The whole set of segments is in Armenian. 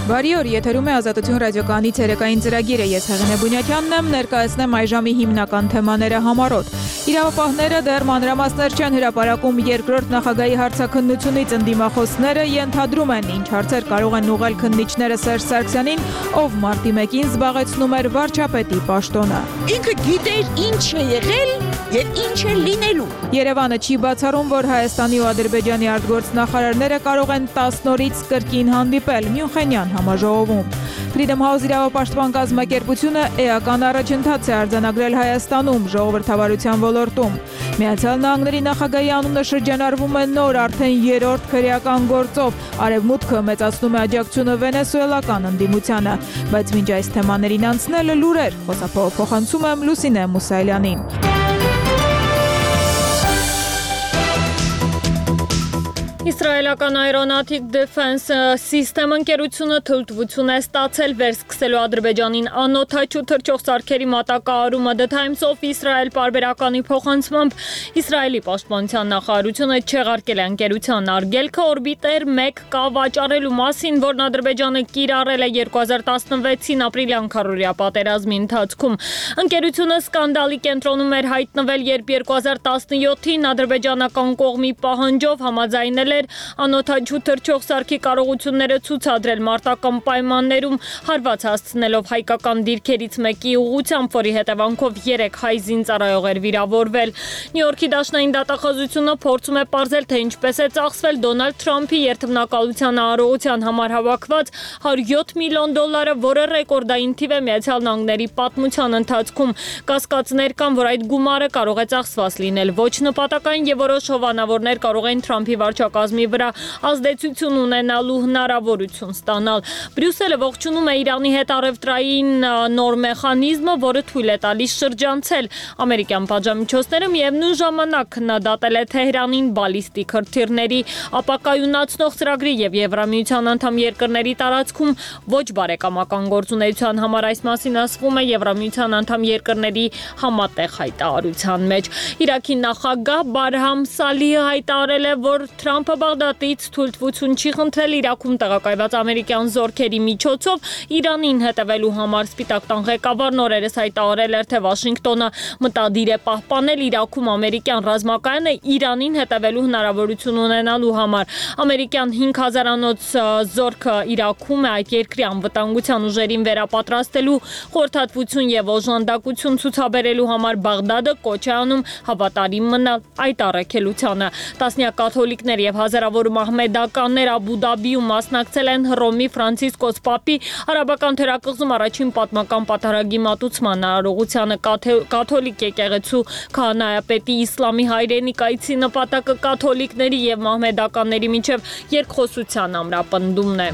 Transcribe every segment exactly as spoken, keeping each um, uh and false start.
Բարի օր, եթերում է Ազատություն ռադիոկայանի ցերեկային ծրագիրը, ես Հեղինե Բունյակյանն եմ, ներկայացնեմ այժմի հիմնական թեմաները համառոտ։ Իրավապահները դեռ մանրամասներ չեն հրապարակում երկրորդ նախագահի հարցաքննությունից, ընդդիմախոսները ենթադրում են, ինչ հարցեր կարող են ուղղել քննիչները Սերժ Սարգսյանին, ով մարտի մեկին զբաղեցնում էր վարչապետի պաշտոնը։ Ինքը գիտեր ինչ է եղել եւ ինչ է լինելու։ Երևանը չի բացառում, որ Հայաստանի ու Ադրբեջանի արտգործնախարարները կարող են տասն օրից կրկին հանդիպել Մյունխենյան համաժողովում։ Freedom House իրավապաշտպան կազմակերպությունը էական առաջընթաց է արձանագրել Հայաստանում ժողովրդավարության ոլորտում։ Միացյալ Նահանգների նախագահի անունը շրջանառվում է նոր արդեն երրորդ քրեական գործով։ Արևմուտքը մեծացնում է աջակցությունը վենեսուելական ընդդիմությանը, բայց մինչ այս թեմաներին անցնելը լուրեր, խոսափողը փոխանցում եմ Լուսինե Մուսայելյանին։ Իսրայելական Aeronautic Defense System ընկերությունը թույլտվություն է ստացել վերսկսելու Ադրբեջանին անօթաչու թռչող սարքերի մատակարարումը The Times of Israel պարբերականի փոխանցմամբ Իսրայելի պաշտպանության նախարարությունը չեղարկել է ընկերության արգելքը օրբիտեր մեկ կա վաճառելու մասին, որն Ադրբեջանը կիրառել է երկու հազար տասնվեցին ապրիլյան քառօրյա պատերազմի ընթացքում։ Ընկերությունը սկանդալի կենտրոնում էր հայտնվել, երբ երկու հազար տասնյոթին ադրբեջանական կողմի պահանջով համաձայնել անօթաչու թռչող սարքի կարողությունները ցուցադրել մարտական պայմաններում, հարված հասցնելով հայկական դիրքերից մեկի ուղղությամբ, որի հետևանքով երեք հայ զինծառայողեր վիրավորվել։ Նյու Յորքի դաշնային դատախազությունը փորձում է պարզել, թե ինչպես է ծախսվել Դոնալդ Թրամփի երթմնակալության արարողության համար հավաքված հարյուր յոթ միլիոն դոլարը, որը ռեկորդային թիվ է Միացյալ Նահանգների պատմության ընթացքում։ Կասկածներ կան, որ այդ գումարը կարող է ծախսված լինել ոչ նպատակային եւ որոշ հովանավորներ կարող են Թրամփի վարչակազմի վրա ազդեցություն ունենալու հնարավորություն ստանալ։ Բրյուսելը ողջունում է Իրանի հետ առևտրային նոր մեխանիզմը, որը թույլ է տալիս շրջանցել ամերիկյան պատժամիջոցները, միևնույն ժամանակ քննադատել է Թեհրանին բալիստիկ հրթիռների ապակայունացնող ծրագրի եւ Եվրամիության անդամ երկրների տարածքում ոչ բարեկամական գործունեության համար։ Այս մասին ասվում է Եվրամիության անդամ երկրների համատեղ հայտարարության մեջ։ Իրաքի նախագահ Բարհամ Սալիհը հայտարարել է, որ Թրամփը Բաղդադից թույլտվություն չի խնդրել Իրաքում տեղակայված ամերիկյան զորքերի միջոցով Իրանին հետևելու համար։ Սպիտակ տան ղեկավարն օրերս հայտարարել էր, թե Վաշինգտոնը մտադիր է պահպանել Իրաքում ամերիկյան ռազմակայանը Իրանին հետևելու հնարավորություն ունենալու համար։ Ամերիկյան հինգ հազարանոց զորքը Իրաքում է այդ երկրի անվտանգության ուժերին վերապատրաստելու խորհրդատվություն եւ օժանդակություն ցուցաբերելու համար Բաղդադը կոչ է անում հավատարիմ մնալ այդ առաքելությանը։ Տասնյակ կաթոլիկներ եւ հազարավոր մահմեդականներ Աբու Դաբիում մասնակցել են Հռոմի Ֆրանցիսկոս Պապի արաբական թերակղզում առաջին պատմական պատարագի մատուցման արարողությանը։ Կաթոլիկ եկեղեցու քահանայապետի իսլամի հայրենիքայցի նպատակը կաթոլիկների եւ մահմեդականների միջև երկխոսության ամրապնդումն է։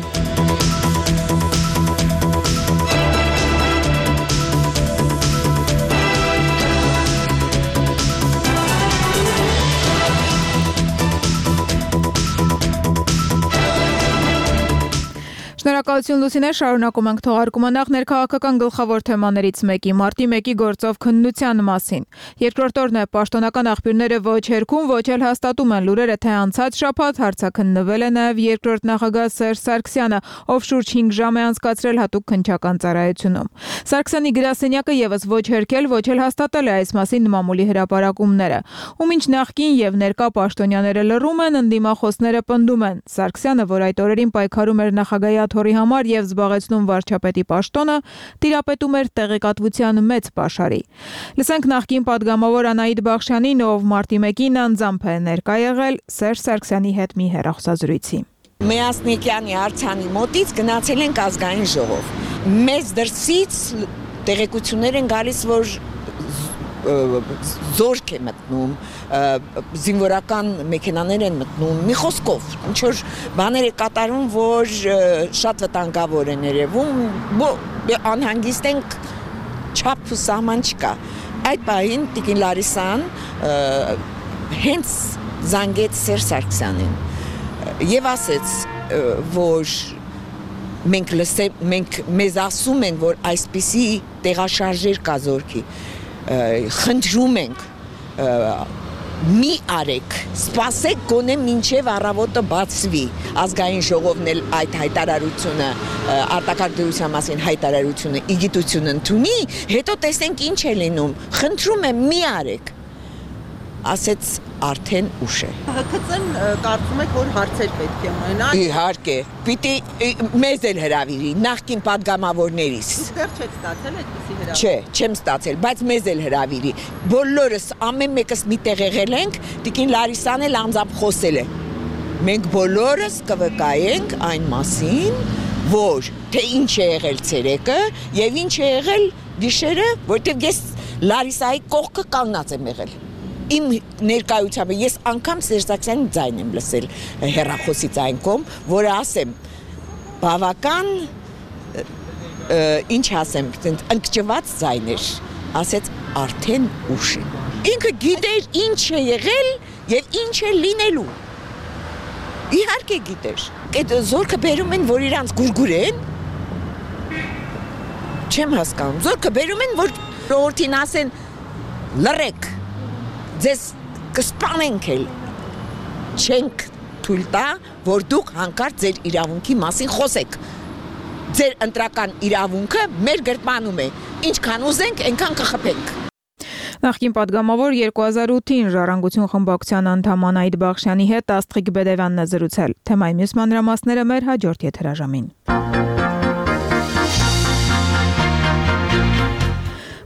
Շնորհակալություն Լուսինե, շարունակում ենք թողարկումը նախ ներքաղաքական գլխավոր թեմաներից մեկի մարտի մեկի գործով քննության մասին։ Երկրորդ օրն է պաշտոնական աղբյուրները ոչ հերքում, ոչ էլ հաստատում են լուրերը, թե անցած շաբաթ հարցաքննվել է նաև երկրորդ նախագահ Սերժ Սարգսյանը, ով շուրջ հինգ ժամ է անցկացրել հատուկ քննչական ծառայությունում։ Սարգսյանի գրասենյակը եւս ոչ հերքել, ոչ էլ հաստատել է այս մասին մամուլի հրապարակումները։ Ու մինչ նախկին եւ ներկա պաշտոնյաները լռում են, ընդդիմախոսները պնդում են։ Սարգսյանը, որ այդ օրերին պայքարում էր նախագահի աթոռի համար եւ զբաղեցնում վարչապետի պաշտոնը, տիրապետում էր տեղեկատվության մեծ պաշարի։ Լսենք նախկին падգամավոր Անահիտ Բախշյանին, ով մարտի մեկին անձամբ է ներկա եղել Սերժ Սարգսյանի հետ մի հեռախոսազրույցի։ Մեյասնիկյանի արձանի մոտից գնացել ենք ազգային ժողով։ Մեզ դրսից տեղեկություններ են գալիս, որ զորք է մտնում, զինվորական մեքենաներ են մտնում, մի խոսքով, ինչ որ բաներ է կատարում, որ շատ վտանգավոր են երևում, անհանգիստ ենք, չափ ու սահման չկա։ Այդ պահին Տիկին Լարիսան հենց զանգեց Սերժ Սարգսյանին եւ ասեց, որ մենք լսեմ, մենք մեզ ասում են, որ այսպիսի տեղաշարժեր կա զորքի, խնդրում ենք մի արեք, սպասեք գոնե մինչև առավոտը բացվի, ազգային ժողովն էլ այդ հայտարարությունը, արտակարգ դրության մասին հայտարարությունը, իգիտություն ընդունի, հետո տեսենք ինչ է լինում, խնդրում եմ մի արեք, ասեց արդեն ուշ է։ ՀՔԾ-ն կարծում եք, որ հարցեր պետք է ունենա։ Իհարկե, պիտի մեզ էլ հրավիրի, նախկին պատգամավորներից։ Դեռ չեք ստացել այդպիսի հրավիր։ Չէ, չեմ ստացել, բայց մեզ էլ հրավիրի։ Բոլորս ամեն մեկս միտեղ եղել ենք, տիկին Լարիսան էլ անձամբ խոսել է։ Մենք բոլորս կվկայենք այն մասին, որ թե ինչ է եղել ցերեկը եւ ինչ է եղել գիշերը, որտեղ ես Լարիսայի կողքը կանգնած եմ եղել։ Իմ ներկայությամբ ես անգամ Սերժ Սարգսյանի ձայն եմ լսել հեռախոսի ձայն կողմ, որը ասեմ, բավական ինչ ասեմ, ընկճված ձայն էր, ասեց արդեն ուշ է։ Ինքը գիտեր ինչ է եղել եւ ինչ է լինելու։ Իհարկե գիտեր։ Այդ զորքը բերում են, որ իրանց գուրգուրեն։ Չեմ հասկանում։ Զորքը բերում են, որ ժողովրդին ասեն լռեք։ Ձեզ կսպանենք էլ, չենք թույլ տա, որ դուք հանկարծ ձեր իրավունքի մասին խոսեք, ձեր ընտրական իրավունքը մեր գրպանում է, ինչքան ուզենք, այնքան կխփենք։ Նախկին պատգամավոր երկու հազար ութին Ժառանգություն խմբակցության անդամ Անահիտ Բախշյանի հետ Աստղիկ Բեդևյանն է զրուցել, թեմայի մյուս մանրամասները մեր հաջորդ եթերաժամին։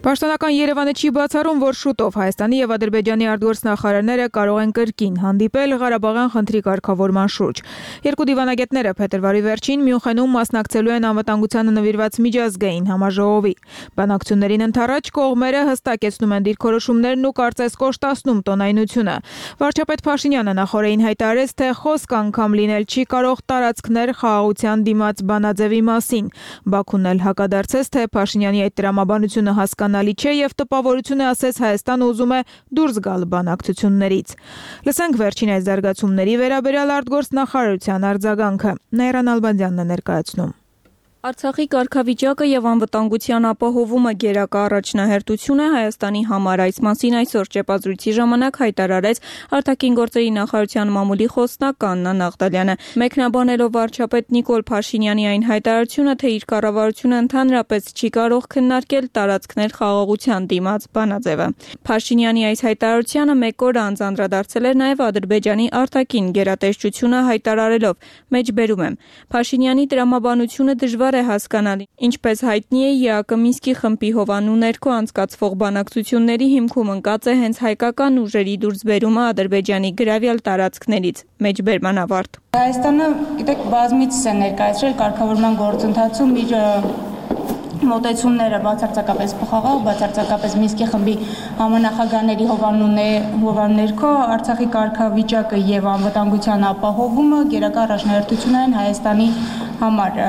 Պաշտոնական Երևանը չի բացառում, որ շուտով Հայաստանի եւ Ադրբեջանի արտգործնախարարները կարող են կրկին հանդիպել Ղարաբաղյան խնդրի կարգավորման շուրջ։ Երկու դիվանագետները փետրվարի վերջին Մյունխենում մասնակցելու են անվտանգությանը նվիրված միջազգային համաժողովի։ Բանակցություններին ընթരാճ կողմերը հստակեցնում են դիրքորոշումներն ու կարծես կոշտացնում տոնայնությունը։ Վարչապետ Փաշինյանը նախորդին հայտարարեց, թե խոսք անգամ լինել չի կարող տարածքներ խաղաղության դիմաց բանաձևի մասին։ Բաքուն էլ հակադարձեց, թե Փաշինյանի այդ տրամաբանությունը հասկանալի չէ եւ տպավորություն է, ասես Հայաստանը ուզում է դուրս գալ բանակցություններից։ Լսենք վերջին այս զարգացումների վերաբերյալ արտգործնախարարության արձագանքը։ Նայրան Ալբանդյանն է ներկայացնում։ Արցախի կարգավիճակը եւ անվտանգության ապահովումը գերակա առաջնահերթություն է Հայաստանի համար, այս մասին այսօր ճեպազրույցի ժամանակ հայտարարեց արտաքին գործերի նախարարության մամուլի խոսնակ Աննա Նաղդալյանը։ Մեկնաբանելով վարչապետ Նիկոլ Փաշինյանի այն հայտարարությունը, թե իր կառավարությունը ընդհանրապես չի կարող քննարկել տարածքներ խաղաղության դիմաց բանաձևը։ Փաշինյանի այս հայտարարությանը մեկ օր անց անդրադարձել էր նաեւ Ադրբեջանի արտաքին գերատեսչությունը հայտարարելով. «Մեջբերում եմ, Փաշինյանի տրամաբանությունը դժվար է հասկանալի, ինչպես հայտնի է ԵԱԿ Մինսկի խմբի հովանու ներքո անցկացվող բանակցությունների հիմքում ընկած է հենց հայկական ուժերի դուրսբերումը Ադրբեջանի գրավյալ տարածքներից»։ Մեջբերման ավարտ։ Հայաստանը, գիտեք, բազմիցս է ներկայացրել կարգավորման գործընթացում իր մոտեցումները բացարձակապես փոխաղավ, բացարձակապես Մինսկի խմբի համանախագահների հովանու ներքո Արցախի կարգավիճակը եւ անվտանգության ապահովումը գերակա առաջնահերթություն են Հայաստանի համար։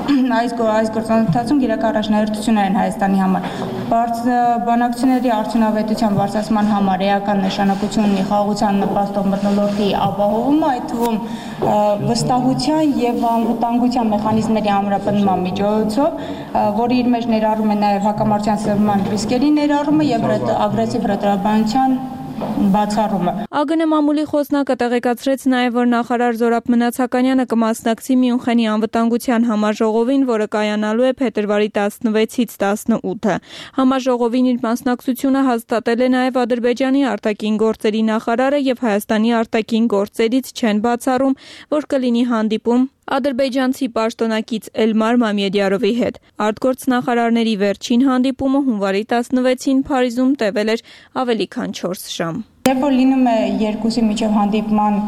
Այս այս գործընթացում գերակա առաջնահերթություն են Հայաստանի համար։ Բանակցությունների արդյունավետության բարձրացման համար էական նշանակություն ունի խաղաղության նպաստող մթնոլորտի ապահովումը, այդ թվում վստահության եւ անվտանգության մեխանիզմների ամրապնդման միջոցով, որը իր մեջ ներառում է նաեւ հակամարտության սրման ռիսկերի ներառումը եւ ագրեսիվ հրետորաբանության բացառումը։ ԱԳՆ մամուլի խոսնակը տեղեկացրեց նաև, որ նախարար Զորաբ Մնացականյանը կմասնակցի Մյունխենի անվտանգության համաժողովին, որը կայանալու է փետրվարի տասնվեցից տասնութը։ Համաժողովին իր մասնակցությունը հաստատել է նաև Ադրբեջանի արտաքին գործերի նախարարը եւ Հայաստանի արտաքին գործերից չեն բացառում, որ կլինի հանդիպում ադրբեջանցի պաշտոնակից Էլմար Մամեդյարովի հետ։ Արտգործնախարարների վերջին հանդիպումը հունվարի տասնվեցին Փարիզում տևել էր ավելի քան չորս ժամ։ Երբ որ լինում է երկուսի միջև հանդիպման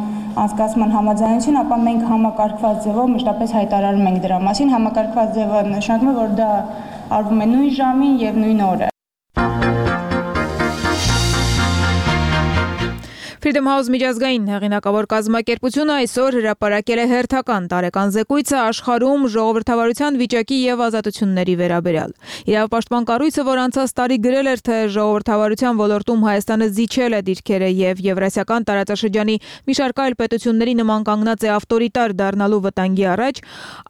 անցկացման համաձայնություն, ապա մենք համակարգված ձևով մշտապես հայտարարում ենք դրա մասին։ Համակարգված ձևը նշանակում է, որ դա արվում է նույն ժամին եւ նույն օրը։ Freedom House միջազգային հեղինակավոր կազմակերպությունը այսօր հրապարակել է հերթական տարեկան զեկույցը աշխարհում ժողովրդավարության վիճակի եւ ազատությունների վերաբերյալ։ Իրավապաշտպան կառույցը, որ անցած տարի գրել էր, թե ժողովրդավարության ոլորտում Հայաստանը զիջել է դիրքերը եւ եվրասիական տարածաշրջանի մի շարք այլ պետությունների նման կանգնած է ավտորիտար դառնալու վտանգի առաջ,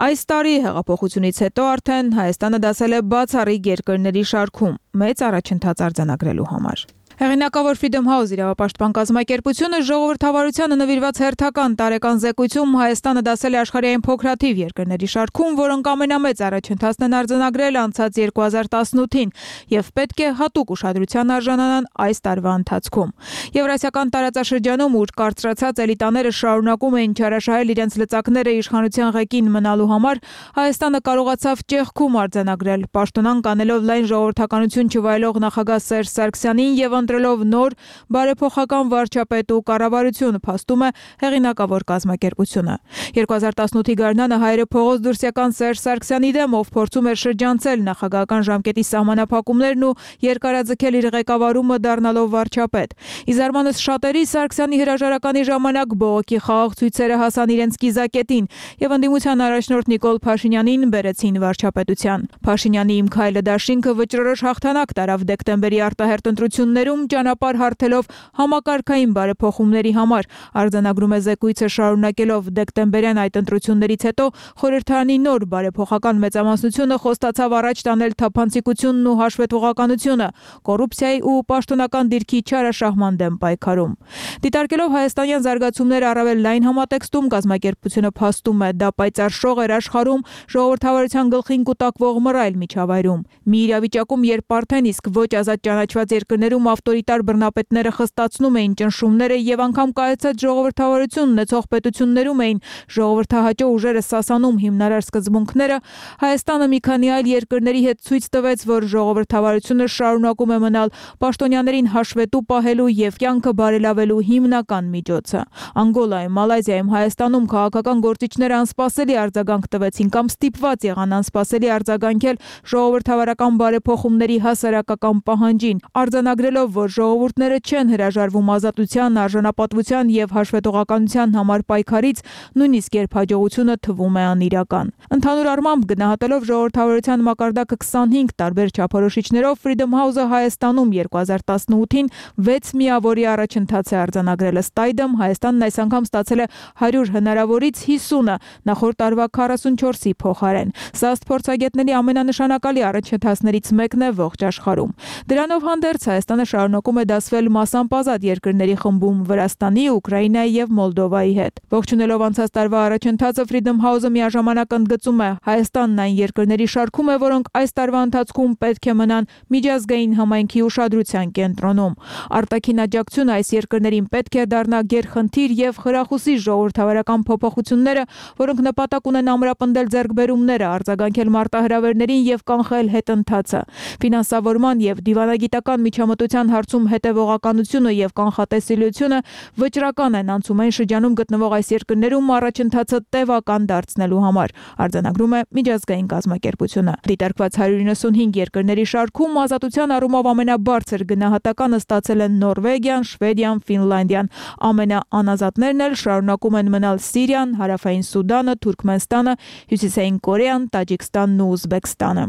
այս տարի հեղափոխությունից հետո արդեն Հայաստանը դասել է բացառիկ երկրների շարքում մեծ առաջընթաց արձանագրելու համար։ Հեղինակավոր Freedom House իրավապաշտպան կազմակերպությունը ժողովրդավարությանը նվիրված հերթական տարեկան զեկույցում Հայաստանը դասել է աշխարհային փոքրաթիվ երկրների շարքում, որոնք ամենամեծ առաջընթացն են արձանագրել անցած երկու հազար տասնութին եւ պետք է հատուկ ուշադրության արժանանան այս տարվա ընթացքում։ Եվրասիական տարածաշրջանում, ուր կարծրացած էլիտաները շարունակում էին չարաշահել իրենց լծակները իշխանության ղեկին մնալու համար, Հայաստանը կարողացավ ճեղքում արձանագրել, պաշտոնանկ անելով լայն ժողովրդականություն չվայելող նախագահ Սերժ Սարգսյանին եւ ընտրելով նոր բարեփոխական վարչապետ ու կառավարություն, փաստում է հեղինակավոր կազմակերպությունը։ երկու հազար տասնութի գարնանը հայերը փողոց դուրսյական Սերժ Սարգսյանի դեմ, ով փորձում էր շրջանցել նախագահական ժամկետի սահմանափակումներն ու երկարաձգել իր ղեկավարումը դառնալով վարչապետ։ Ի զարմանս շատերի Սարգսյանի հրաժարականի ժամանակ բողոքի խաղաղ ցույցերը հասան իրենց կիզակետին եւ ընդդիմության առաջնորդ Նիկոլ Փաշինյանին բերեցին վարչապետության։ Փաշինյանի «Իմ քայլը» դաշինքը վճռորոշ հաղթանակ տարավ դեկտեմբերի արտահերթ ընտրություններում, ճանապարհ հարթելով համակարգային բարեփոխումների համար, արձանագրում է զեկույցը, շարունակելով դեկտեմբերյան այդ ընտրություններից հետո խորհրդարանի նոր բարեփոխական մեծամասնությունը խոստացավ առաջ տանել թափանցիկությունն ու հաշվետվողականությունը, կոռուպցիայի ու պաշտոնական դիրքի չարաշահման դեմ պայքարում։ Դիտարկելով հայաստանյան զարգացումները առավել լայն համատեքստում, կազմակերպությունը փաստում է, դա պայծառ շող էր աշխարհում ժողովրդավարության գլխին կուտակվող մռայլ միջավայրում։ Մի իրավիճակում, երբ արդեն իսկ ոչ ազատ ճանաչված երկրներում ավտորիտար բռնապետները խստացնում էին ճնշումները եւ անգամ կայացած ժողովրդավարություն ունեցող պետություններում էին ժողովրդահաճո ուժերը սասանում հիմնարար սկզբունքները, Հայաստանը մի քանի այլ երկրների հետ ցույց տվեց, որ ժողովրդավարությունը շարունակում է մնալ պաշտոնյաներին հաշվետու պահելու եւ կյանքը բարելավելու հիմնական միջոցը։ Անգոլայում, Մալայզիայում, Հայաստանում քաղաքական գործիչները անսպասելի արձագանք տվեցին կամ ստիպված եղան անսպասելի արձագանքել ժողովրդավարական բարեփոխումների հասարակական պահանջին, արձանագրելով, որ ժողովուրդները չեն հրաժարվում ազատության, արժանապատվության եւ հաշվետվողականության համար պայքարից, նույնիսկ երբ հաջողությունը թվում է անիրական։ Ընդհանուր առմամբ, գնահատելով ժողովրդավարության մակարդակը քսանհինգ տարբեր չափորոշիչներով, Freedom House-ը Հայաստանում երկու հազար տասնութին վեց միավորի առաջընթաց է արձանագրել։ Ըստ այդմ, Հայաստանն այս անգամ ստացել է հարյուր հնարավորից հիսունը, նախորդ տարվա քառասունչորսի փոխարեն։ Սա ըստ փորձագետների ամենանշանակալի առաջընթացներից մեկն է ողջ աշխարհում։ Դրանով հանդերձ Հայաստանը շարունակում է դասվել մասամբ ազատ երկրների խմբում Վրաստանի, Ուկրաինայի եւ Մոլդովայի հետ։ Ողջունելով անցած տարվա առաջընթացը, Freedom House-ը միաժամանակ ընդգծում է, Հայաստանն այն երկրների շարքում է, որոնք այս տարվա ընթացքում պետք է մնան միջազգային համայնքի ուշադրության կենտրոնում։ Արտաքին աջակցությունը այս երկրներին պետք է դառնա գերխնդիր եւ խրախուսի ժողովրդավարական փոփոխությունները, որոնք նպատակ ունեն ամրապնդել ձեռքբերումները, արձագանքել մարտահրավերներին եւ կանխել հետընթացը։ Ֆինանսավորման եւ դիվանագիտական միջամտության հարցում հետևողականությունը եւ կանխատեսելիությունը վճռական են անցումային շրջանում գտնվող այս երկրներում առաջընթացը տևական դարձնելու համար, արձանագրում է միջազգային կազմակերպությունը։ Դիտարկված հարյուր իննսունհինգ երկրների շարքում ազատության առումով ամենաբարձր գնահատականը ստացել են Նորվեգիան, Շվեդիան, Ֆինլանդիան։ Ամենաանազատներն էլ շարունակում են մնալ Սիրիան, Հարավային Սուդանը, Թուրքմենստանը, Հյուսիսային Կորեան, Տաջիկստանն ու Ուզբեկստանը։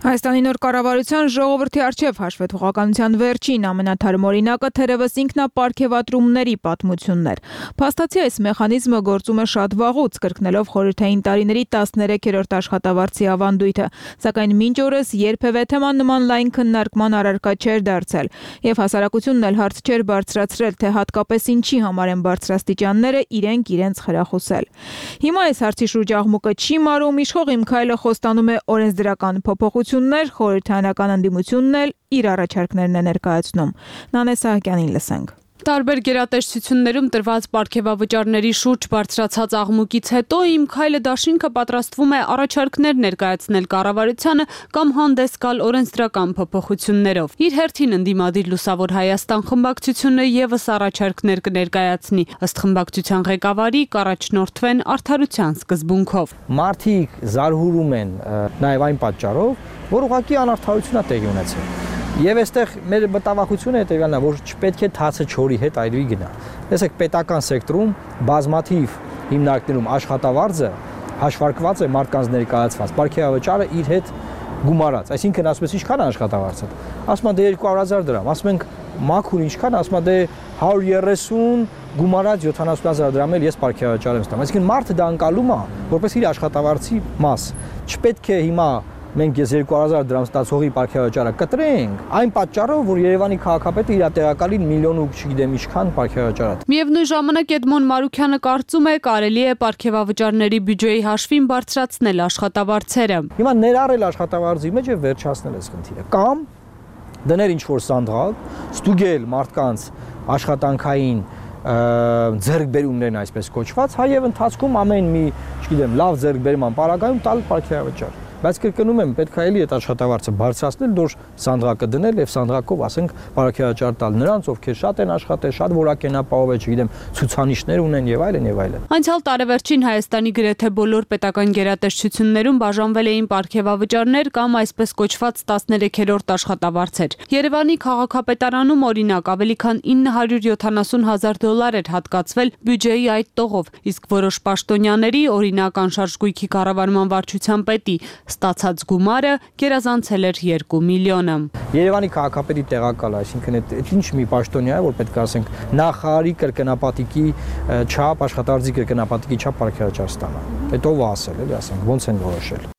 Հայաստանի նոր կառավարության ժողովրդի արչև հաշվետվողականության վերջին ամենաթարմ օրինակը թերևս ինքնապարգևատրումների պատմությունն էր։ Փաստացի այս մեխանիզմը գործում է շատ վաղուց, կրկնելով խորհրդային տարիների տասներեքերորդ աշխատավարձի ավանդույթը, սակայն մինչ օրս երբևէ թեման նման լայն քննարկման առարկա չէր դարձել, եւ հասարակությունն էլ հարց չէր բարձրացրել, թե հատկապես ինչի համար են բարձրաստիճանները իրենք իրենց խրախուսել։ Հիմա այս հարցի շուրջ աղմուկը չի մարում, իշխող Իմ քայլը խոստանում է օրենսդրական փոփոխություններ, խորհրդարանական ընդդիմությունն էլ իր առաջարկներն է ներկայացնում։ Նանե Սահակյանին լսենք։ Տարբեր գերատեսչություններում տրված պարգևավճարների շուրջ բարձրացած աղմուկից հետո Իմ քայլը դաշինքը պատրաստվում է առաջարկներ ներկայացնել կառավարությանը կամ հանդես գալ օրենսդրական փոփոխություններով։ Իր հերթին ընդդիմադիր Լուսավոր Հայաստան խմբակցությունը եւս առաջարկներ կներկայացնի, ըստ խմբակցության ղեկավարի կառաջնորդվեն արդարության սկզբունքով։ Մարդիկ զարհուրում են նաեւ այն պատճառով, որ ուղղակի անարդարություն է տեղի ունեցել։ Եվ այստեղ մեր մտավախությունը հետևյալն է, որ չպետք է թացը չորի հետ այրվի գնա։ Տեսեք, պետական սեկտորում բազմաթիվ հիմնարկներում աշխատավարձը հաշվարկված է մարդկանց ներկայացված, պարգևավճարը իր հետ գումարած, այսինքն ասում ես ինչքան է աշխատավարձը։ Ասում են դե երկու հարյուր հազար դրամ, ասում ենք մաքուր ինչքան, ասում են դե հարյուր երեսուն գումարած յոթանասուն հազար դրամ էլ ես պարգևավճար եմ ստանում։ Այսինքն մարդը դա անցալում է որպես իր աշխատավարձի մաս։ Չպետք է հիմա մենք ես երկու հազար դրամ ստացողի պարգևաճարը կտրենք, այն պատճառով, որ Երևանի քաղաքապետը իր տեղակալին միլիոն ու չգիտեմ ինչքան պարգևաճար։ Միևնույն ժամանակ Էդմոն Մարուքյանը կարծում է, կարելի է պարգևավճարների բյուջեի հաշվին բարձրացնել աշխատավարձերը։ Հիմա ներառել աշխատավարձի մեջ եւ վերջացնել այս խնդիրը։ Կամ դնել ինչ-որ սանդղակ, ստուգել մարդկանց աշխատանքային ձեռքբերումներն այսպես կոչված, հայև ընթացքում ամեն մի, չգիտեմ, լավ ձեռքբերման պարագայում տալ պարգևաճար։ Բայց կրկնում եմ, պետք է էլի այդ աշխատավարձը բարձրացնել, դոր սանդղակը դնել եւ սանդղակով, ասենք, պարգևաճար տալ նրանց, ովքեր շատ են աշխատել, շատ որակենապահով է, չգիտեմ, ցուցանիշներ ունեն եւ այլն եւ այլն։ Անցյալ տարեվերջին Հայաստանի գրեթե բոլոր պետական գերատեսչություններում բաժանվել էին պարգևավճարներ կամ այսպես կոչված տասներեքերորդ աշխատավարձեր։ Երևանի քաղաքապետարանում օրինակ ավելի քան ինը հարյուր յոթանասուն հազար դոլար էր հատկացվել բյուջեի այդ տողով, իսկ որոշ պաշտոնյաների, օրինակ անշարժ գույքի կառավարման վարչության պետի ստացած գումարը գերազանցել էր երկու միլիոնը։ Երևանի քաղաքապետի տեղակալը, այսինքն այդ ինչ մի պաշտոնյա է, որ պետք է ասենք նախարարի կրկնապատիկի չափ, աշխատավարձի կրկնապատիկի չափ պարգևաճար ստանա։ Այդ ով է ասել, էլի ասենք, ո՞նց են որոշել։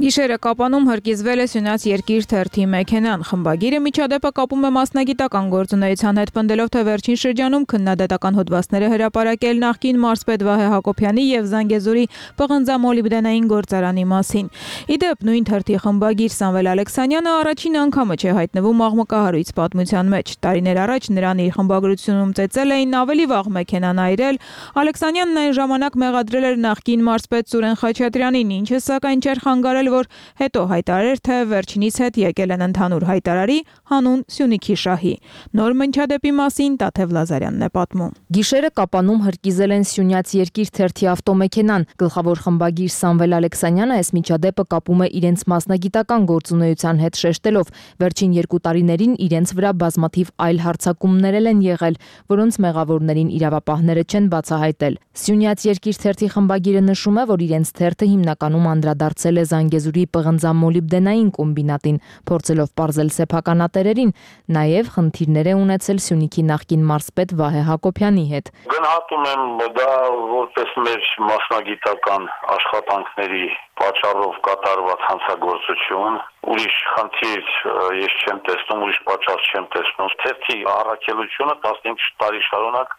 Գիշերը Կապանում հրկիզվել է Սյունյաց երկիր թերթի մեքենան։ Խմբագիրը միջադեպը կապում է մասնագիտական գործունեության հետ, պնդելով, թե վերջին շրջանում քննադատական հոդվածները հրապարակել նախկին մարզպետ Վահե Հակոբյանի եւ Զանգեզուրի պղնձամոլիբդենային գործարանի մասին։ Իդեպ նույն թերթի խմբագիր Սամվել Ալեքսանյանը առաջին անգամը չէ հայտնվում աղմկահարույց պատմության մեջ։ Տարիներ առաջ նրան իր խմբագրությունում ծեծել էին ավելի վաղ մեքենան այրել։ Ալեքսանյանն այն ժամանակ մեղադրել էր նախկին մարզպետ Սուրեն Խաչատրյանին, ինչը սակայն չէր խանգարել, որ հետո հայտարարեր, թե վերջինիս հետ եկել են ընդհանուր հայտարարի հանուն Սյունիքի շահի։ Նոր մնչադեպի մասին Տաթև Լազարյանն է պատմում։ Գիշերը Կապանում հրկիզել են Սյունյաց երկիր թերթի ավտոմեքենան։ Գլխավոր խմբագիր Սամվել Ալեքսանյանը այս միջադեպը կապում է իրենց մասնագիտական գործունեության հետ, շեշտելով, վերջին երկու տարիներին իրենց վրա բազմաթիվ այլ հարձակումներ են եղել, որոնց մեղավորներին իրավապահները չեն բացահայտել։ Սյունյաց երկիր թերթի խմբագիրը նշում է, որ իրենց թերթը հիմնականում անդրադարձել է Զանգեզուրի պղնձամոլիբդենային կոմբինատին, փորձելով պարզել սեփականատերերին, նաև խնդիրներ է ունեցել Սյունիքի նախկին մարզպետ Վահե Հակոբյանի հետ։ Գնահատում եմ դա որպես մեր մասնագիտական աշխատանքների պատճառով կատարված հանցագործություն, ուրիշ խնդիր ես չեմ տեսնում, ուրիշ պատճառ չեմ տեսնում։ Թերթի առաքելությունը տասնհինգ տարի շարունակ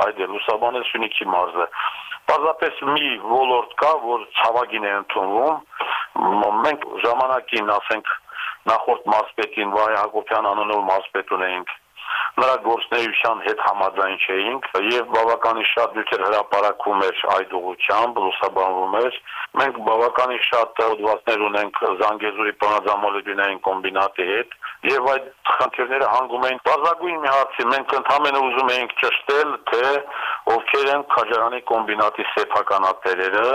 այդ է լուսաբանել Սյունիքի մարզը։ Պարզապես մի ոլորտ կա, որ ցավագին է ընդունվում։ Մենք ժամանակին, ասենք, նախորդ մարզպետին Վահե Հակոբյան անունով մարզպետ ունեինք, նրա գործունեության հետ համաձայն չէինք եւ բավականին շատ նյութեր հրապարակվում էր այդ ուղղությամբ, լուսաբանվում էր։ Մենք բավականին շատ հոդվածներ ունենք Զանգեզուրի պղնձամոլիբդենային կոմբինատի հետ եւ այդ խնդիրները հանգում էին բազագույն մի հարցի։ Մենք ընդհանրապես ուզում էինք ճշտել, թե ովքեր են Քաջարանի կոմբինատի սեփականատերերը։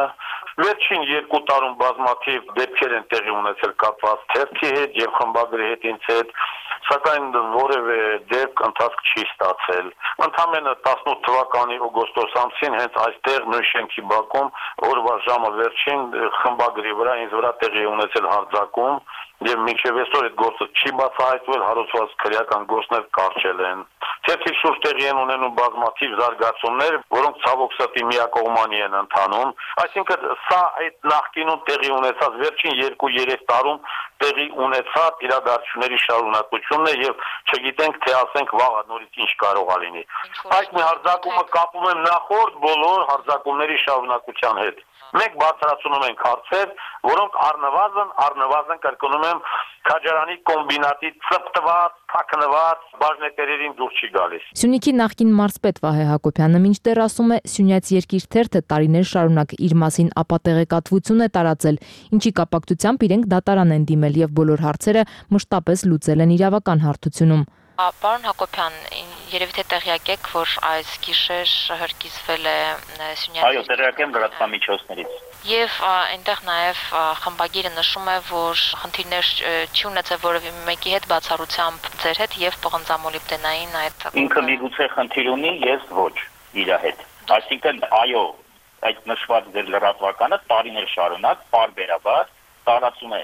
Վերջին երկու տարում բազմաթիվ դեպքեր են տեղի ունեցել կապված թերթի հետ եւ խմբագրի հետ ինձ հետ, սակայն որևէ դեպք ընթացք չի ստացել։ Ընդհանրապես տասնութ թվականի օգոստոս ամսին հենց այստեղ նույն շենքի բակում օրվա ժամը վերջին խմբագրի վրա ինձ վրա տեղի ունեցել հարձակում եւ մինչեւ այսօր այդ գործը չի բացահայտվել, հարուցված քրեական գործներ կարճել են։ Թերթի շուրջ տեղի են ունենում բազմաթիվ զարգացումներ, որոնք ցավոք սրտի միակողմանի են ընթանում։ Այսինքն սա այդ նախկինում տեղի ունեցած վերջին երկու-երեք տարում տեղի ունեցած իրադարձությունների շարունակությունն է եւ չգիտենք թե ասենք վաղը նորից ինչ կարող է լինի։ Այդ մի հարձակումը կապում եմ նախորդ բոլոր հարձակումների շարունակության հետ։ Մենք բացառացնում ենք հարցեր, որոնք առնվազն առնվազն կրկնում եմ Քաջարանի կոմբինատի ծպտված, թաքնված բաժնետերերին դուր չի գալիս։ Սյունիքի նախկին մարզպետ Վահե Հակոբյանը մինչդեռ ասում է, Սյունյաց երկիր թերթը տարիներ շարունակ իր մասին ապատեղեկատվություն է տարածել, ինչի կապակցությամբ իրենք դատարան են դիմել եւ բոլոր հարցերը մշտապես լուծել են իրավական հարթությունում։ Պարոն Հակոբյան, երևի թե տեղյակ եք, որ այս գիշեր հրկիզվել է Սյունյաց։ Այո, տեղյակ եմ լրատվամիջոցներից։ Եվ այնտեղ նաև խմբագիրը նշում է, որ խնդիրներ չի ունեցել որևէ մեկի հետ բացառությամբ ձեր հետ եւ պղնձամոլիբդենային այդ։ Ինքը միգուցե խնդիր ունի, ես ոչ իր հետ։ Այսինքն, այո, այդ նշված ձեր լրատվականը տարիներ շարունակ պարբերաբար տարածում է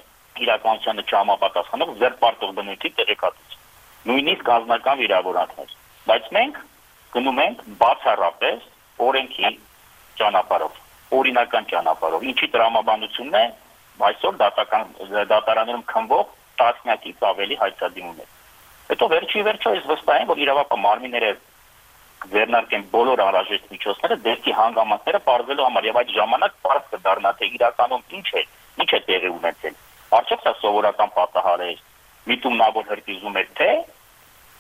իրականությանը չհամապատասխանող ձեռպարտող բնույթի տեղեկատվություն։ Նույնիսկ անձնական վիրավորանքներ, բայց մենք գնում ենք բացառապես օրենքի ճանապարհով։ օրինական ճանապարհով։ Ինչի տրամաբանությունն է այսօր դատական դատարաններում քննվող տասնյակից ավելի հայցադիմումներ։ Հետո վերջի վերջո ես վստահ եմ, որ իրավապահ մարմինները ձեռնարկեն բոլոր անհրաժեշտ միջոցները դեպքի հանգամանքները պարզելու համար եւ այդ ժամանակ պարզ կդառնա թե իրականում ինչ է, ինչ է տեղի ունեցել։ Արդյոք սա սովորական պատահար է, միտումնավոր հրկիզում է, թե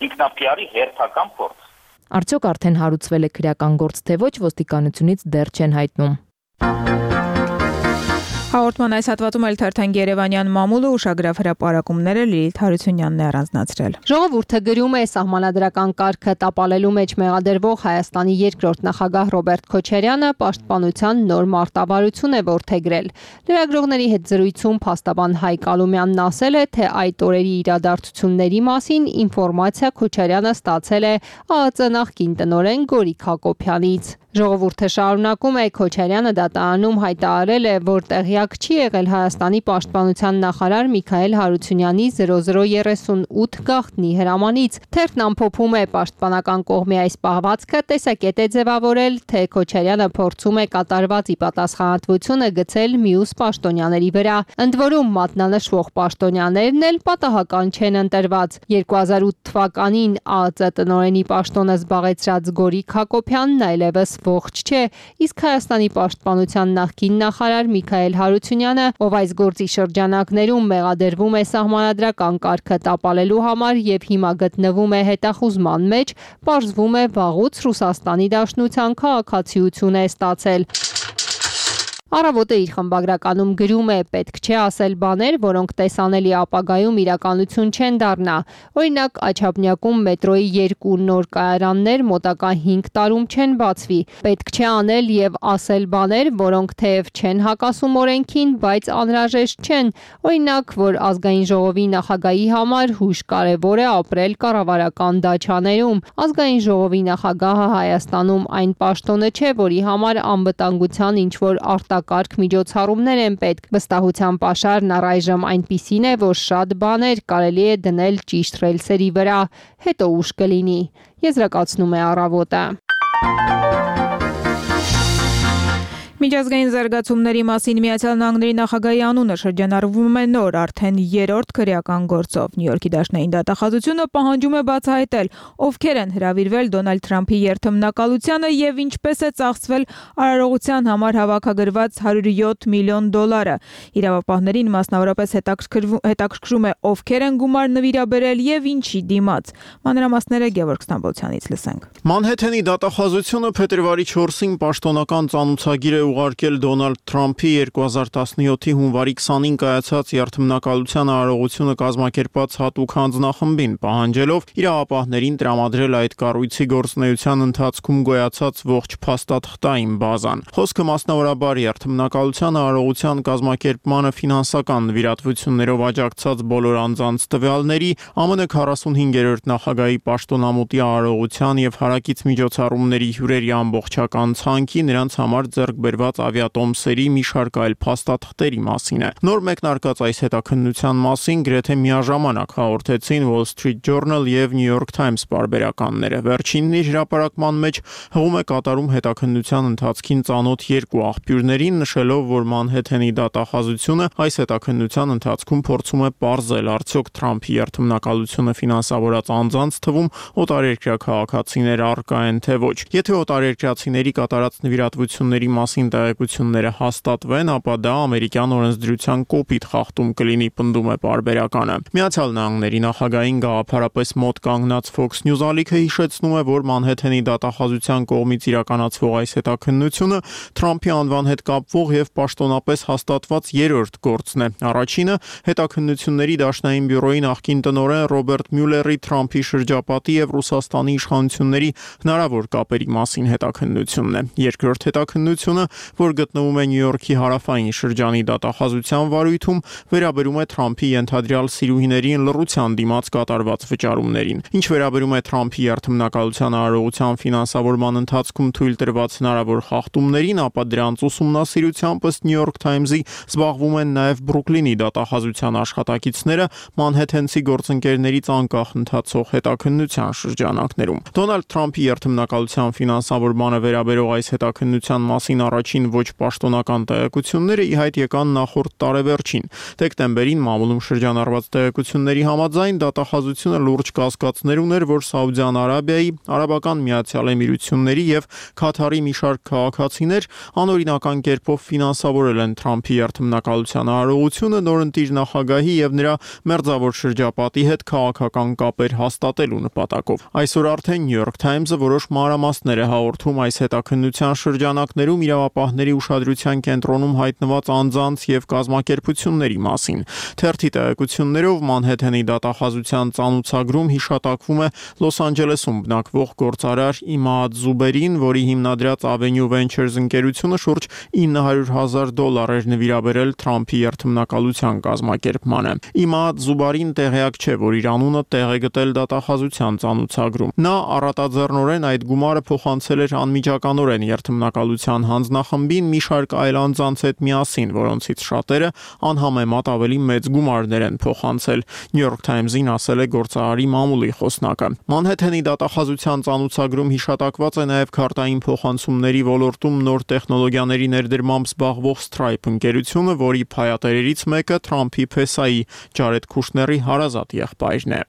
ինքնափիարի հերթական փորձ։ Արդյոք արդեն հարուցվել է քրեական գործ, թե ոչ, ոստիկանությունից դեռ չեն հայտնում։ Հաղորդման այս հատվածում էլ թերթենք Երևանյան մամուլը ուշագրավ հրապարակումները Լիլիթ Հարությունյանն է առանձնացրել։ Ժողովուրդը գրում է սահմանադրական կարգը տապալելու մեջ մեղադրվող Հայաստանի երկրորդ նախագահ Ռոբերտ Քոչարյանը պաշտպանության նոր մարտավարություն է որդեգրել։ Լրագրողների հետ զրույցում փաստաբան Հայկ Ալումյանն ասել է, թե այդ օրերի իրադարձությունների մասին ինֆորմացիա Քոչարյանը ստացել է ԱԱԾ նախկին տնօրեն Գորիկ Հակոբյանից։ Ժողովուրդը շարունակում է Քոչարյանը դատարանում հայտարարել է, որ տեղյակ չի եղել Հայաստանի պաշտպանության նախարար Միքայել Հարությունյանի զրո զրո երեսունութ գաղտնի հրամանից։ Թերթն ամփոփում է պաշտպանական կողմի այս պահվածքը տեսակետ է ձևավորել, թե Քոչարյանը փորձում է կատարված ի պատասխանատվությունը գցել մյուս պաշտոնյաների վրա։ Ընդ որում մատնանշվող պաշտոնյաներն էլ պատահական չեն ընտրված։ երկու հազար ութ թվականին ԱԱԾ տնօրենի պաշտոնը զբաղեցրած Գորիկ Հակոբյանն այլևս ողջ չէ, իսկ Հայաստանի պաշտպանության նախկին նախարար Միքայել Հարությունյանը, ով այս գործի շրջանակներում մեղադրվում է սահմանադրական կարգը տապալելու համար եւ հիմա գտնվում է հետախուզման մեջ, պարզվում է վաղուց Ռուսաստանի Դաշնության քաղաքացիություն է ստացել։ Առավոտը իր խմբագրականում գրում է. պետք չէ ասել բաներ, որոնք տեսանելի ապագայում իրականություն չեն դառնա։ Օրինակ, Աչափնյակում մետրոյի երկու նոր կայարաններ մոտակա հինգ տարում չեն բացվի։ Պետք չէ անել եւ ասել բաներ, որոնք թեև չեն հակասում օրենքին, բայց անհրաժեշտ չեն։ Օրինակ, որ ազգային ժողովի նախագահի համար հույժ կարևոր է ապրել կառավարական դաչաներում։ Ազգային ժողովի նախագահը Հայաստանում այն պաշտոնը չէ, որի համար անվտանգության ինչ որ արտակարգ կարգ միջոցառումներ են պետք։ Վստահության պաշարն առայժմ այնպիսին է, որ շատ բաներ կարելի է դնել ճիշտ ռելսերի վրա, հետո ուշ կլինի։ Եզրակացնում է Առավոտը։ Միջազգային զարգացումների մասին Միացյալ Նահանգների նախագահի անունը շրջանառվում է նոր, արդեն երրորդ քրեական գործով։ Նյու Յորքի դաշնային դատախազությունը պահանջում է բացահայտել, ովքեր են հրավիրվել Դոնալդ Թրամփի երթմնակալությանը եւ ինչպես է ծախսվել արարողության համար հավաքագրված հարյուր յոթ միլիոն դոլարը։ Իրավապահներին մասնավորապես հետաքրքրում է ովքեր են գումար նվիրաբերել եւ ինչի դիմաց։ Մանրամասները Գևորգ Ստամբոլցյանից լսենք։ Մանհեթենի դատախազությունը փետրվարի չորսին պաշտոնական ծանուցագիր է ուղարկել Դոնալդ Թրամփի երկու հազար տասնյոթի հունվարի քսանին կայացած երթմնակալության արարողությունը կազմակերպած հատուկ հանձնախմբին, պահանջելով իրավապահներին տրամադրել այդ կառույցի գործունեության ընթացքում գոյացած ողջ փաստաթղթային բազան։ Խոսքը մասնավորաբար երթմնակալության արարողության կազմակերպմանը ֆինանսական նվիրատվություններով աջակցած բոլոր անձանց տվյալների, ԱՄՆ քառասունհինգերորդ նախագահի պաշտոնամուտի արարողության եւ հարակից միջոցառումների հյուրերի ամբողջական ցանկի, նրանց համար ձեռք բերված ավիատոմսերի մի շարք այլ փաստաթղթերի մասին է։ Նոր մեկնարկած այս հետաքննության մասին գրեթե միաժամանակ հաղորդեցին Wall Street Journal եւ New York Times պարբերականները։ Վերջինն իր հրապարակման մեջ հղում է կատարում հետաքննության ընթացքին ծանոթ երկու աղբյուրներին, նշելով, որ Մանհեթենի դատախազությունը այս հետաքննության ընթացքում փորձում է պարզել, արդյոք Թրամփի երթմնակալությունը ֆինանսավորած անձանց թվում օտարերկրյա քաղաքացիներ առկա են թե ոչ։ Եթե օտարերկրացիների կատարած նվիրատվությունների մասին տեղեկությունները հաստատվեն, ապա դա ամերիկյան օրենսդրության կոպիտ խախտում կլինի, պնդում է պարբերականը։ Միացյալ Նահանգների նախագահին գաղափարապես մոտ կանգնած Fox News ալիքը հիշեցնում է, որ Մանհեթենի դատախազության կողմից իրականացվող այս հետաքննությունը Թրամփի անվան հետ կապվող եւ պաշտոնապես հաստատված երրորդ գործն է։ Առաջինը հետաքննությունների դաշնային բյուրոյի նախկին տնօրեն Ռոբերտ Մյուլլերի Թրամփի շրջապատի եւ Ռուսաստանի իշխանությունների հնարավոր կապերի մասին հետաքննությունն է։ Երկրորդ հետաքննությունը, որ գտնվում է Նյու Յորքի հարավային շրջանի դատախազության վարույթում, վերաբերում է Թրամփի ենթադրյալ սիրուհիներին լռության դիմաց կատարված վճարումներին։ Ինչ վերաբերում է Թրամփի երթմնակալության արարողության ֆինանսավորման ընթացքում թույլ տրված հնարավոր խախտումներին, ապա դրանց ուսումնասիրությամբ ըստ New York Times-ի զբաղվում են նաև Բրուքլինի դատախազության աշխատակիցները Մանհեթենցի գործընկերներից անկախ ընթացող հետաքննության շրջանակներում։ Դոնալդ Թրամփի երթմնակալության ֆինանսավորմանը վերաբերող այս հետաքննության մասին առաջ առաջին ոչ պաշտոնական տեղեկությունները ի հայտ եկան նախորդ տարեվերջին։ Դեկտեմբերին մամուլում շրջանառված տեղեկությունների համաձայն դատախազությունը լուրջ կասկածներ ուներ, որ Սաուդյան Արաբիայի, Արաբական Միացյալ Էմիրությունների եւ Քաթարի մի շարք քաղաքացիներ անօրինական կերպով ֆինանսավորել են Թրամփի երթմնակալության արարողությունը նորընտիր նախագահի եւ նրա մերձավոր շրջապատի հետ քաղաքական կապեր հաստատելու նպատակով։ Այսօր արդեն New York Times-ը որոշ մանրամասներ է հաղորդում այս հետաքննության շրջանակներում իրավապահների ուշադրության կենտրոնում հայտնված անձանց եւ կազմակերպությունների մասին։ Թերթի տեղեկություններով Մանհեթենի դատախազության ծանուցագրում հիշատակվում է Լոս Անջելեսում բնակվող գործարար Իմադ Զուբերին, որի հիմնադրած Avenue Ventures ընկերությունը շուրջ ինը հարյուր հազար դոլար էր նվիրաբերել Թրամփի երթմնակալության կազմակերպմանը։ Իմադ Զուբարին տեղյակ չէ, որ իր անունը տեղ է գտել դատախազության ծանուցագրում։ Նա առատաձեռնորեն այդ գումարը փոխանցել էր անմիջականորեն երթմնակալության հանձնախմբին մի շարք այլ անձանց հետ միասին, որոնցից շատերը անհամեմատ ավելի մեծ գումարներ են փոխանցել։ New York Times-ին ասել է գործարարի մամուլի խոսնակը։ Մանհեթենի դատախազության ծանուցագրում հիշատակված է նաև քարտային փոխանցումների ոլորտում նոր տեխնոլոգիաների ներդրմամբ զբաղվող Stripe ընկերությունը, որի փայատերերից մեկը Թրամփի փեսայի Ջարեդ Քուշների հարազատ եղբայրն է։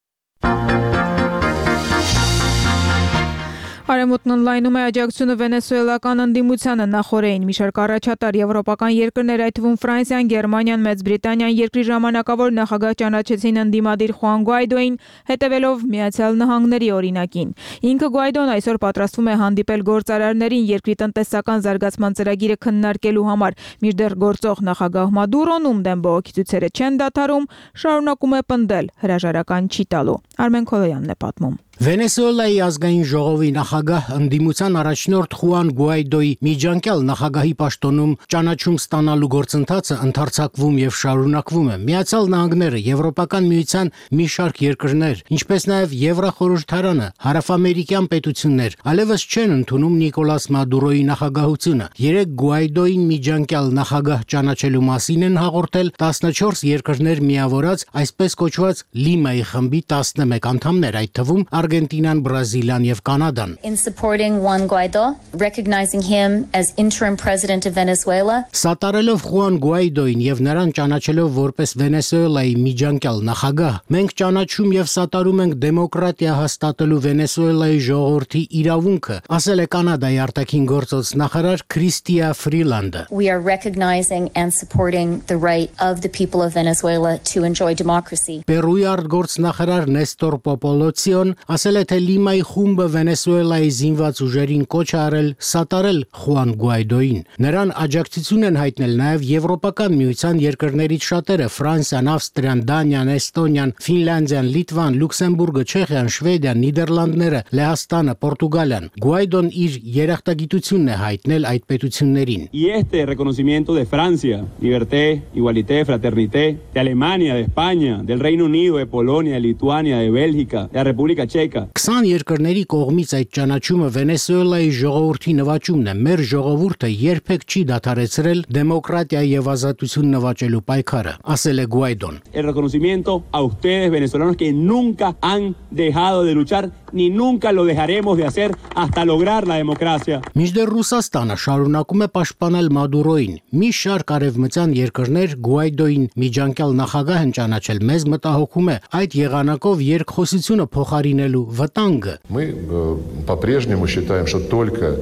Արևմուտքն օնլայնում է աջակցությունը վենեսուելական ընդդիմությանը նախորդին։ Մի շարք առաջատար եվրոպական երկրներ, այդ թվում Ֆրանսիան, Գերմանիան, Մեծ Բրիտանիան երկրի ժամանակավոր նախագահ ճանաչեցին ընդդիմադիր Խուան Գուայդոին, հետևելով Միացյալ Նահանգների օրինակին։ Ինքը Գուայդոն այսօր պատրաստվում է հանդիպել գործարարներին երկրի տնտեսական զարգացման ծրագիրը քննարկելու համար, մինչդեռ գործող նախագահ Մադուրոն, ում դեմ բողոքի ցույցերը չեն դադարում, շարունակում է պնդել, հրաժարական չի տալու։ Արմեն Քոլոյանն է պատմում։ Վենեսուելայի ազգային ժողովի նախագահ ընդդիմության առաջնորդ Խուան Գուայդոյի միջանկյալ նախագահի պաշտոնում ճանաչում ստանալու գործընթացը ընդարձակվում եւ շարունակվում է։ Միացյալ Նահանգները, Եվրոպական միության մի շարք երկրներ, ինչպես նաեւ Եվրախորհրդարանը, հարավամերիկյան պետություններ այլևս չեն ընդունում Նիկոլաս Մադուրոյի նախագահությունը։ Երեք Գուայդոյին միջանկյալ նախագահ ճանաչելու մասին են հաղորդել տասնչորս երկրներ միավորած այսպես կոչված Լիմայի խմբի տասնմեկ անդամներ, այդ թվում Argentinան, Բրազիլիան եւ Կանադան։ In supporting Juan Guaido, recognizing him as interim president of Venezuela. Սատարելով Խուան Գուայդոին եւ նրան ճանաչելով որպես Վենեսուելայի միջանկյալ նախագահ, մենք ճանաչում եւ սատարում ենք դեմոկրատիա հաստատելու Վենեսուելայի ժողովրդի իրավունքը, ասել է Կանադայի արտաքին գործոց նախարար Քրիստիա Ֆրիլանդը։ We are recognizing and supporting the right of the people of Venezuela to enjoy democracy. Պերուի արտգործնախարար Նեստոր Պոպոլոցիոն ասել է, թե Լիմայի խումբը Վենեսուելայի զինված ուժերին կոչ է արել սատարել Խուան Գուայդոին։ Նրան աջակցություն են հայտնել նաև Եվրոպական միության երկրներից շատերը՝ Ֆրանսիան, Ավստրիան, Դանիան, Էստոնիան, Ֆինլանդիան, Լիտվան, Լյուքսեմբուրգը, Չեխիան, Շվեդիան, Նիդերլանդները, Լեհաստանը, Պորտուգալիան։ Գուայդոն իր երախտագիտությունն է հայտնել այդ պետություններին։ Y este reconocimiento de Francia, liberté, igualité, fraternité, de Alemania, de España, del Reino Unido, de Polonia, de Lituania, de Bélgica, de la República Checa. քսան երկրների կողմից այդ ճանաչումը Վենեսուելայի ժողովրդի նվաճումն է։ Մեր ժողովուրդը երբեք չի դադարեցրել դեմոկրատիա եւ ազատություն նվաճելու պայքարը, ասել է Գուայդոն։ El reconocimiento a ustedes venezolanos que nunca han dejado de luchar ni nunca lo dejaremos de hacer hasta lograr la democracia. Մինչդեռ Ռուսաստանը շարունակում է պաշտպանել Մադուրոին։ Մի շարք արևմտյան երկրներ Գուայդոին միջանկյալ նախագահ են ճանաչել։ Մեզ մտահոգում է այդ եղանակով երկխոսությունը փոխարինելու վտանգը։ Мы по-прежнему считаем, что только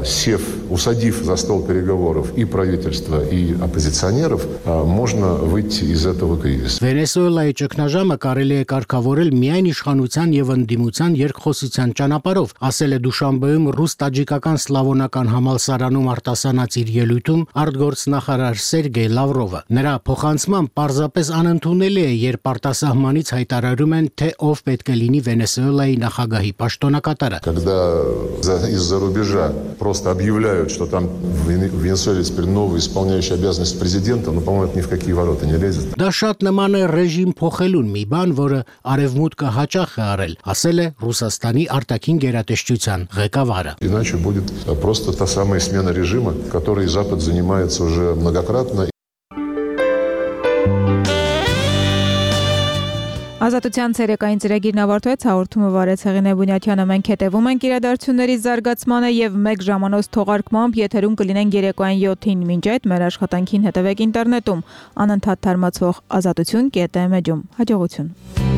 сев, усадив за стол переговоров и правительства, и оппозиционеров, можно выйти из этого кризиса. Վենեսուելայի ճգնաժամը կարելի է կարգավորել միայն իշխանության եւ ընդդիմության երկխոսության ճանապարհով, ասել է Դուշանբեում ռուս-տաջիկական սլավոնական համալսարանում արտասանած իր ելույթում արտգործնախարար Սերգեյ Լավրովը։ Նրա փոխանցմամբ պարզապես անընդունելի է, երբ արտասահմանից հայտարարում են, թե ով պետք է լինի Վենեսուելայի նախագահի պաշտոնակատարը։ Когда из-за рубежа просто объявляют, что там в Венесуэле теперь новый исполняющий обязанности президента, но, по-моему, это ни в какие ворота не лезет. Դա շատ նման է ռեժիմ փոխելուն մի բան, որը արևմուտքը հաճախ է արել, ասել է Ռուսաստանի արտաքին գերատեսչության ղեկավարը։ Иначе будет просто та самая смена режима, которой Запад занимается уже многократно. Ազատության ցերեկային ծրագիրն ավարտվեց, հաղորդումը վարեց Հեղինե Բունյաթյանը, մենք հետևում ենք իրադարձությունների զարգացմանը եւ մեկ ժամանոց թողարկմամբ եթերում կլինենք երեկոյան յոթին, մինչ այդ մեր աշխատանքին հետևեք ինտերնետում, անընդհատ թարմացվող ազատություն կետ էմ էջում, հաջողություն։